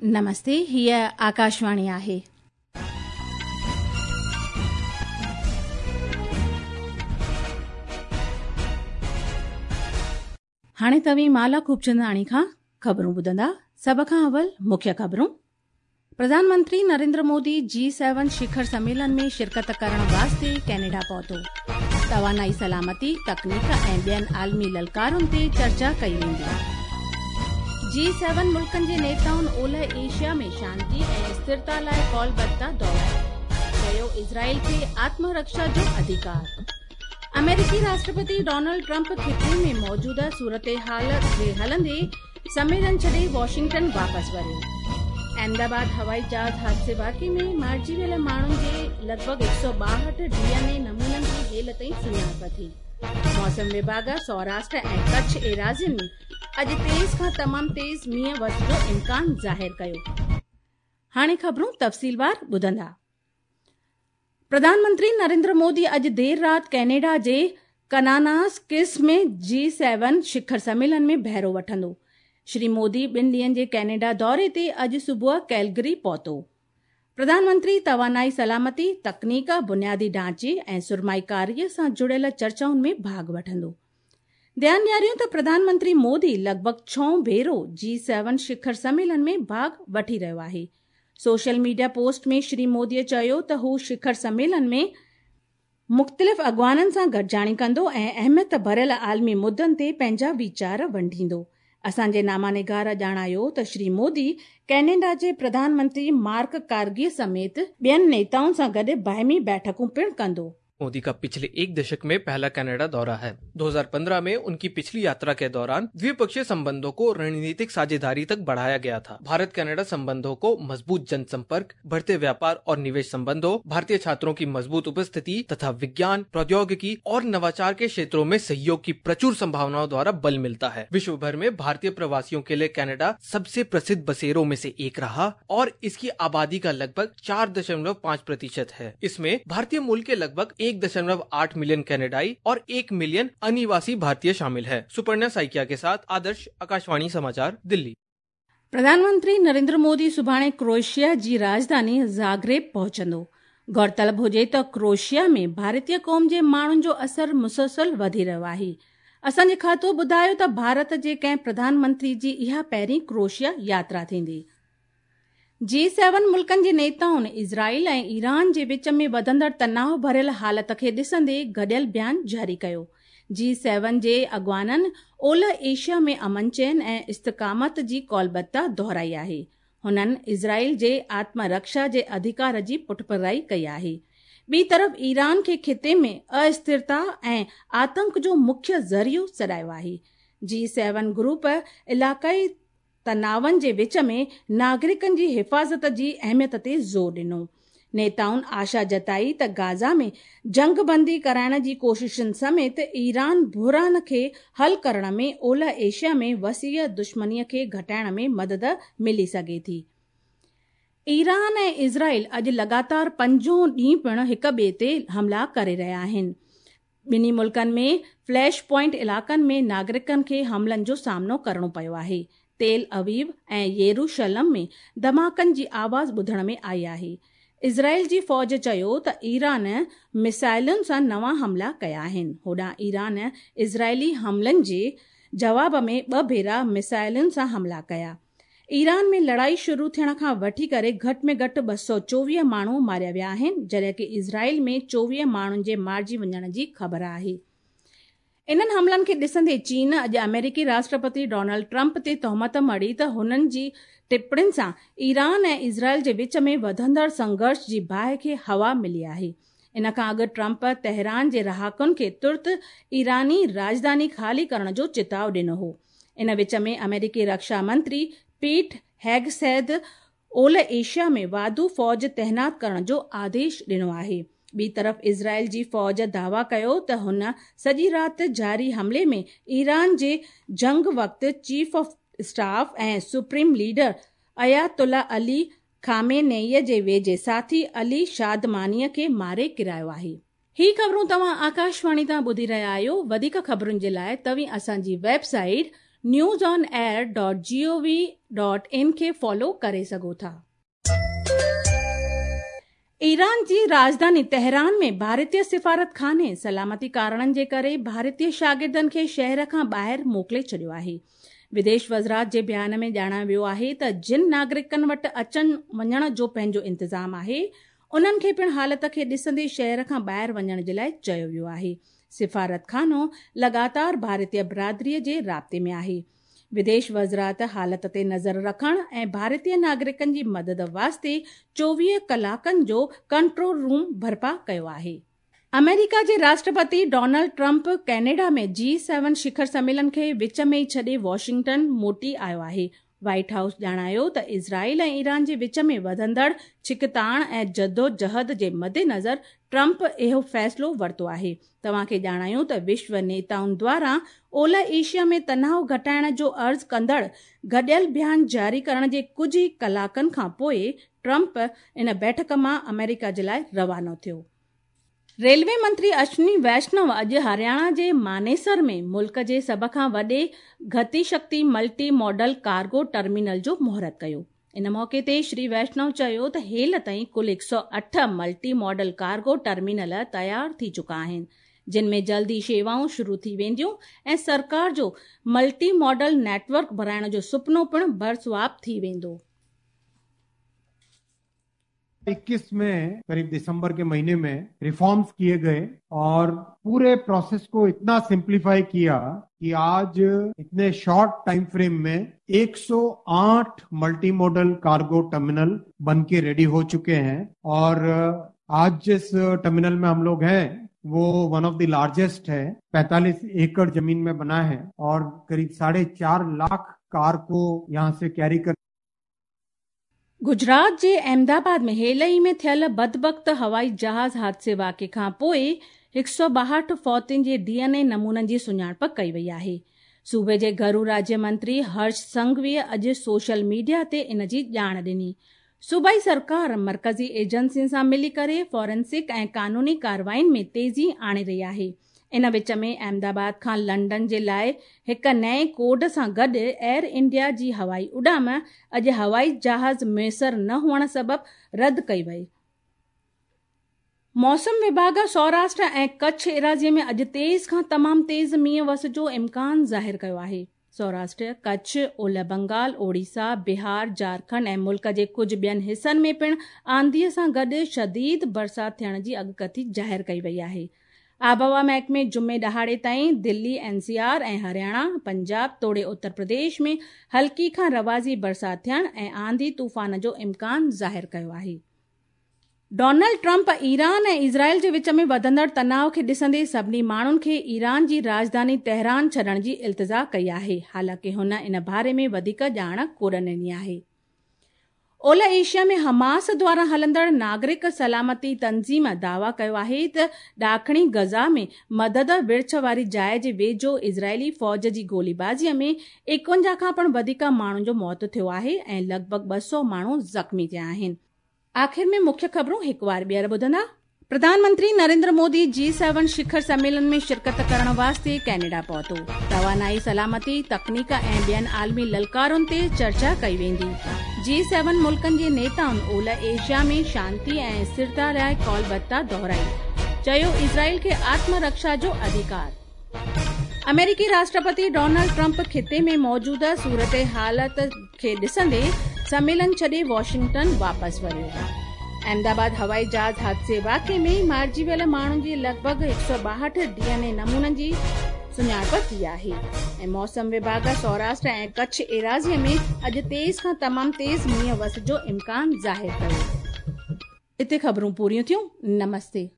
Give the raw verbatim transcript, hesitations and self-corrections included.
नमस्ते, हीअ आकाशवाणी आहे। हाणे तव्हीं माला खूबचंदाणी खां ख़बरूं ॿुधंदा। सभ खां अवल मुख्य ख़बरूं। प्रधानमंत्री नरेंद्र मोदी जी सेवन शिखर सम्मेलन में शिरकत करण वास्ते कैनेडा पहुतो। तवानाई सलामती, तकनीक ऐं ॿियनि आलमी ललकारुनि ते चर्चा कई वेंदी। जी सेवन मुल्कनि जे नेताउनि ओलह एशिया में शांति ऐं स्थिरता लाइ कॉलबद्धता दोहराई। चयो इज़राइल खे आत्मरक्षा जो अधिकार। अमेरिकी राष्ट्रपति डोनाल्ड ट्रंप खिते में मौजूदा सूरत हाल जे हलंदे सम्मेलन छॾे वॉशिंगटन वापसि वरियो। अहमदाबाद हवाई जहाज़ हादसे वाक़े में मारिजी वियल माण्हुनि जे लॻभॻि हिकु सौ ॿाहठि डी एन ए नमूननि जी हेल ताईं सुञाणप थी। मौसम विभाग सौराष्ट्र ऐं कच्छ एराज़ियुनि में अॼु तेज़ खां तमामु तेज़ मींहुं वस जो इम्कान ज़ाहिर कयो। हाणे ख़बरूं तफ़सीलवार ॿुधंदा। प्रधानमंत्री नरेंद्र मोदी अॼु देरि राति कैनेडा जे कनानास्किस में जी सेवन शिखर सम्मेलन में बहिरो वठंदो। श्री मोदी ॿिनि ॾींहनि जे कैनेडा दौरे ते अॼु सुबुह कैलगरी पहुतो। प्रधानमंत्री तवानाई सलामती, तकनीक, बुनियादी ढांचे ऐं सुरमाईकारीअ सां जुड़ियल चर्चाउनि में भाॻ वठंदो। ध्यानु ॾियारियूं त प्रधानमंत्री मोदी लॻभॻि छहों भेरो जी सेवन शिखर सम्मेलन में भाॻ वठी रहियो आहे। सोशल मीडिया पोस्ट में श्री मोदीअ चयो त हू शिखर सम्मेलन में मुख़्तलिफ़ अॻवाननि सां गॾिजाणी कंदो ऐं अहमियत भरियल आलमी मुद्दनि ते पंहिंजा वीचार वंडींदो। असांजे नामानिगार ॼाणायो त श्री मोदी कैनेडा जे प्रधानमंत्री मार्क कार्गी समेत ॿियनि नेताउनि सां गॾु बाहिमी बैठकूं पिणु कंदो। मोदी का पिछले एक दशक में पहला कनाडा दौरा है। दो हज़ार पंद्रह में उनकी पिछली यात्रा के दौरान द्विपक्षीय संबंधों को रणनीतिक साझेदारी तक बढ़ाया गया था। भारत कनाडा संबंधों को मजबूत जनसंपर्क, बढ़ते व्यापार और निवेश संबंधों, भारतीय छात्रों की मजबूत उपस्थिति तथा विज्ञान, प्रौद्योगिकी और नवाचार के क्षेत्रों में सहयोग की प्रचुर संभावनाओं द्वारा बल मिलता है। विश्व भर में भारतीय प्रवासियों के लिए कनाडा सबसे प्रसिद्ध बसेरों में से एक रहा और इसकी आबादी का लगभग चार दशमलव पाँच प्रतिशत है। इसमें भारतीय मूल के लगभग एक दशमलव आठ मिलियन कनाडाई और एक मिलियन अनिवासी भारतीय शामिल है। सुपर्णा साइकिया के साथ आदर्श, आकाशवाणी समाचार, दिल्ली। प्रधानमंत्री नरेंद्र मोदी सुभाणे क्रोएशिया जी राजधानी ज़ाग्रेब पहुचंदो। गौरतलब हुजे त क्रोएशिया में भारतीय क़ौम जे माण्हुनि जो असर मुसलसल वधी रहियो आहे। असांजे खातो ॿुधायो त भारत जे कंहिं प्रधानमंत्री जी इहा पहिरीं क्रोएशिया यात्रा थींदी। जी सेवन मुल्कनि जे नेताउनि इज़राइल ऐं ईरान जे विच में वधंदड़ तनाव भरियल हालत खे ॾिसंदे गॾियल बयान जारी कयो। जी सेवन जे अॻवाननि ओलह एशिया में अमन चैन ऐं इस्तिकामत जी कौलबद्धता दोहराई आहे। हुननि इज़राइल जे आत्मरक्षा जे अधिकार जी पुठभराई कई आहे। ॿी तरफ़ ईरान खे खिते में अस्थिरता ऐं आतंक जो मुख्य ज़रियो सॾायो आहे। जी सेवन ग्रुप इलाक़ाई तनावनि जे विच में नागरिकनि जी हिफ़ाज़त जी अहमियत ते ज़ोर ॾिनो। नेताउनि आशा जताई त गाज़ा में जंगबंदी कराइण जी कोशिशुनि समेत ईरान बुहरान खे हल करण में ओलह एशिया में वसीअ दुश्मनीअ खे घटाइण में मदद मिली सघे थी। ईरान ऐं इज़राइल अॼु लगातार पंजों ॾींहुं पिणु हिक ॿिए ते हमला करे रहिया आहिनि। ॿिन्ही मुल्कनि में फ्लैश पॉइंट इलाइक़नि में नागरिकनि खे हमलनि जो सामनो करिणो पियो आहे। तेल अवीव ऐं येरूशलम में धमाकनि जी आवाज़ ॿुधण में आई आहे। इज़राइल जी फ़ौज चयो त ईरान मिसाइलुनि सां नवां हमला कया आहिनि। होॾां ईरान इज़राइली हमलनि जे जवाब में ॿ भेरा मिसाइलुनि सां हमला कया। ईरान में लड़ाई शुरू थियण खां वठी करे घटि में घटि ॿ सौ चोवीह माण्हू मारिया विया आहिनि, जॾहिं की इज़राइल में चोवीह माण्हुनि जे मारिजी वञण जी ख़बर आहे। इन्हनि हमलनि खे ॾिसंदे चीन अॼु अमेरिकी राष्ट्रपति डोनाल्ड ट्रंप ते तोहमत मढ़ी त हुननि जी टिप्पणियुनि सां ईरान ऐं इज़राइल जे विच में वधंदड़ संघर्ष जी बाहि खे हवा मिली आहे। इन खां अॻु ट्रंप तेहरान जे रहाकुनि खे तुर्त ईरानी राजधानी ख़ाली करण जो चिताव ॾिनो हो। इन विच में अमेरिकी रक्षा मंत्री पीट हेगसेथ ओलह एशिया में वाधू फ़ौज तैनात करण जो आदेश ॾिनो आहे। ॿी तरफ़ इज़राइल जी फ़ौज दावा कयो त हुन सॼी राति जारी हमले में ईरान जे जंग वक़्तु चीफ ऑफ स्टाफ ऐं supreme leader Ayatollah Ali Khamenei जे वेझे साथी अली शादमानीअ खे मारे किरायो आहे। ही ख़बरूं तव्हां आकाशवाणी तां ॿुधी रहिया आहियो। वधीक ख़बरुनि जे लाइ तव्हीं असांजी website news on air dot G O V dot in کي فالو ڪري سگهو ٿا. ايران جي راڄڌاني تهران ۾ ڀارتيه سفارتخاني سلامتي ڪارڻن جي ڪري ڀارتيه شاگردن کي شهر کان ٻاهر موڪلي ڇڏيو آهي. وديش وزارت جي بيان ۾ ڄاڻايو ويو آهي ته جن ناگرڪن وٽ اچڻ وڃڻ جو پنهنجو انتظام آهي، انهن کي پڻ حالت کي ڏسندي شهر کان ٻاهر وڃڻ جي لاءِ چيو ويو آهي. سفارتخانو لڳاتار ڀارتيه برادريءَ جي رابطي ۾ آهي. وديش وزارت حالت تي نظر رکڻ ۽ ڀارتيه ناگرڪن جي مدد واسطي چوويهه ڪلاڪن جو ڪنٽرول روم برپا ڪيو آهي. آمريڪا جي راشٽرپتي ڊونلڊ ٽرمپ ڪينيڊا ۾ جي سيون شکر سميلن کي وچ ۾ ئي ڇڏي واشنگٽن موٽي آيو آهي. وائيٽ هائوس ڄاڻايو ته اسرائيل ۽ ايران جي وچ ۾ وڌندڙ ڇڪتاڻ ۽ جدوجهد جي مدنظر ٽرمپ اهو فيصلو ورتو آهي. توهان کي ڄاڻايون ته وشو نيتائن دواران اولهه ايشيا ۾ تناءُ گهٽائڻ جو عرض ڪندڙ گڏيل بيان جاري ڪرڻ جي ڪجهه ئي ڪلاڪن کان پوءِ ٽرمپ ان بيٺڪ مان آمريڪا جي لاءِ روانو ٿيو. ريلوي منتري اشوني ويشنو اڄ هرياڻا جي مانيسر ۾ ملڪ جي سڀ کان وڏي Gati Shakti multi modal cargo terminal جو مهورت ڪيو. ان موقعي تي شري ويشنو چيو ته هيل تائين ڪل هڪ سؤ اٺ ملٽي ماڊل ڪارگو ٽرمينل تيار ٿي چڪا آهن، جن ۾ جلدي شيوائون شروع ٿي وينديون ۽ سرڪار جو ملٽي ماڊل نيٽ ورڪ بڻائڻ جو سپنو پڻ برسواب ٿي ويندو. इक्कीस में करीब दिसंबर के महीने में रिफॉर्म्स किए गए और पूरे प्रोसेस को इतना सिंप्लीफाई किया कि आज इतने शॉर्ट टाइम फ्रेम में एक सौ आठ मल्टी मॉडल कार्गो टर्मिनल बन के रेडी हो चुके हैं और आज जिस टर्मिनल में हम लोग हैं वो वन ऑफ the largest है, पैंतालीस एकड़ जमीन में बना है और करीब साढ़े चार लाख कार को यहाँ से कैरी कर गुजरात जे अहमदाबाद में हेल ई में थियल बदबख्त हवाई जहाज़ हादसे वाक़े खां पोइ हिकु सौ ॿाहठि फौतियुनि जे डी एन ए नमूननि जी सुञाणप कई वई आहे. सूबे जे घरू राज्य मंत्री हर्ष संघवीअ अॼु सोशल मीडिया ते इन जी ॼाण ॾिनी. सूबाई सरकार मर्कज़ी एजेंसियुनि सां मिली करे फॉरेंसिक ऐं कानूनी कार्रवाईनि में तेज़ी आणे रही आहे. इन विच में अहमदाबाद खां लंडन जे लाइ हिकु नएं कोड सां गॾु एयर इंडिया जी हवाई उॾाम अॼु हवाई जहाज़ मुयसर न हुअण सबबि रद्द कई वई. मौसम विभाग सौराष्ट्र ऐं कच्छ एराज़ीअ में अॼु तेज़ खां तमामु तेज़ मींहुं वस जो इम्कान ज़ाहिर कयो आहे. सौराष्ट्र, कच्छ, ओलह बंगाल, ओडिशा, बिहार, झारखंड ऐं मुल्क जे कुझु ॿियनि हिसनि में पिणु आंधीअ सां गॾु शदीद बरसाति थियण जी अॻकथी ज़ाहिर कई वई आहे. आबहवा महकमे जुमे ॾहाड़े ताईं दिल्ली, एन सी आर ऐं हरियाणा, पंजाब तोड़े उत्तर प्रदेश में हल्की खां रवाज़ी बरसाति थियण ऐं आंधी तूफ़ान जो इम्कान ज़ाहिर कयो आहे. डोनाल्ड ट्रंप ईरान ऐं इज़राइल जे विच में वधंदड़ तनाव खे ॾिसंदे सभिनी माण्हुनि खे ईरान जी राजधानी तेहरान छॾण जी इल्तिजा कई आहे. हालांकि हुन इन बारे में वधीक ॼाण कोन ॾिनी आहे. ओलह एशिया में हमास द्वारा हलंदड़ नागरिक सलामती तंज़ीम दावा कयो आहे त ॾाखणी गज़ा में मदद विर्छ वारी जाइ जे वेझो इज़राइली फ़ौज जी गोलीबाज़ीअ में एकवंजाह खां पिणु वधीक माण्हुनि जो मौत थियो आहे ऐं लॻभॻि ॿ सौ माण्हू ज़ख़्मी थिया आहिनि. आख़िर में मुख्य ख़बरूं हिकु वार ॿीहर ॿुधंदा. प्रधानमंत्री नरेंद्र मोदी जी सेवन शिखर सम्मेलन में शिरकत करण वास्ते कैनेडा पहुतो. तवानाई, सलामती, तकनीक ऐं ॿियनि आलमी ललकारुनि ते चर्चा कई वेंदी. जी सेवन मुल्कनि जे नेताउनि ओलह एशिया में शांति ऐं स्थिरता लाइ कॉलबद्धता दोहराई. चयो इज़राइल खे आत्मरक्षा जो अधिकार. अमेरिकी राष्ट्रपति डोनाल्ड ट्रंप खिते में मौजूदा सूरत हालत खे ॾिसंदे सम्मेलन छॾे वॉशिंगटन वापसि वरियो. अहमदाबाद हवाई जहाज़ हादसे वाक़े में मारिजी वियल माण्हुनि जी लॻभॻि हिकु सौ ॿाहठि डी एन ए नमूननि जी सुञाणप थी आहे. ऐं मौसम विभाग सौराष्ट्र ऐं कच्छ एराज़ीअ में अॼु तेज़ खां तमामु तेज़ मींहुं वस जो इम्कान ज़ाहिर कयो. हिते ख़बरूं पूरियूं थियूं. नमस्ते.